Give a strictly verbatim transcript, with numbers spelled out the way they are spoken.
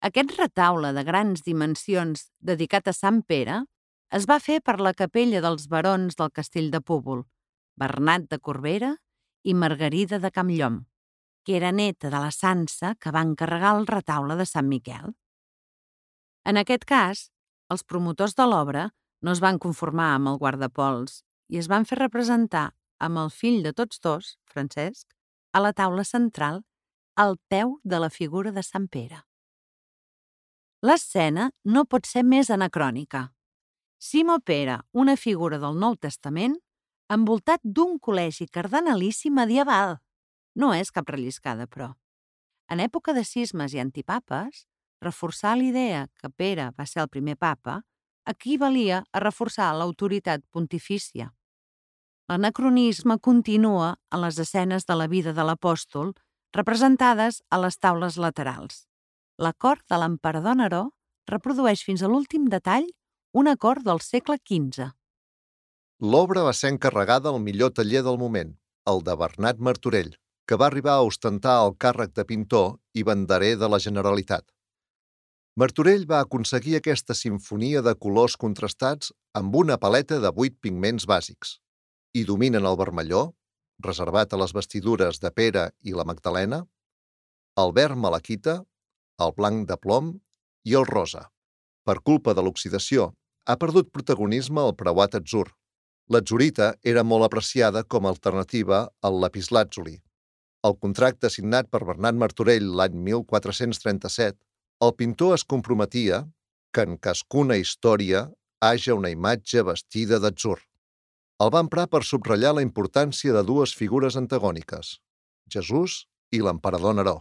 Aquest retaule de grans dimensions dedicat a Sant Pere es va fer per la capella dels barons del castell de Púbol, Bernat de Corbera i Margarida de Campllom, que era neta de la Sança que va encarregar el retaule de Sant Miquel. En aquest cas, els promotors de l'obra no es van conformar amb el guardapols i es van fer representar amb el fill de tots dos, Francesc, a la taula central, al peu de la figura de Sant Pere. L'escena no pot ser més anacrònica. Simó Pere, una figura del Nou Testament, envoltat d'un col·legi cardenalici medieval. No és cap relliscada, però. En època de cismes i antipapes, reforçar l'idea que Pere va ser el primer papa equivalia a reforçar l'autoritat pontifícia. L'anacronisme continua en les escenes de la vida de l'apòstol representades a les taules laterals. La cort de l'emperador Neró reprodueix fins a l'últim detall una cort del segle quinze. L'obra va ser encarregada al millor taller del moment, el de Bernat Martorell, que va arribar a ostentar el càrrec de pintor i banderer de la Generalitat. Martorell va aconseguir aquesta simfonia de colors contrastats amb una paleta de vuit pigments bàsics, i dominen el vermelló, reservat a les vestidures de Pere i la Magdalena, el verd malaquita, el blanc de plom i el rosa. Per culpa de l'oxidació, ha perdut protagonisme el preuat atzur. L'atzurita era molt apreciada com a alternativa al lapislàtzuli. Al contracte signat per Bernat Martorell l'any mil quatre-cents trenta-set, el pintor es comprometia que en cascuna història haja una imatge vestida d'atzur. El va emprar per subratllar la importància de dues figures antagòniques, Jesús i l'emperador Neró.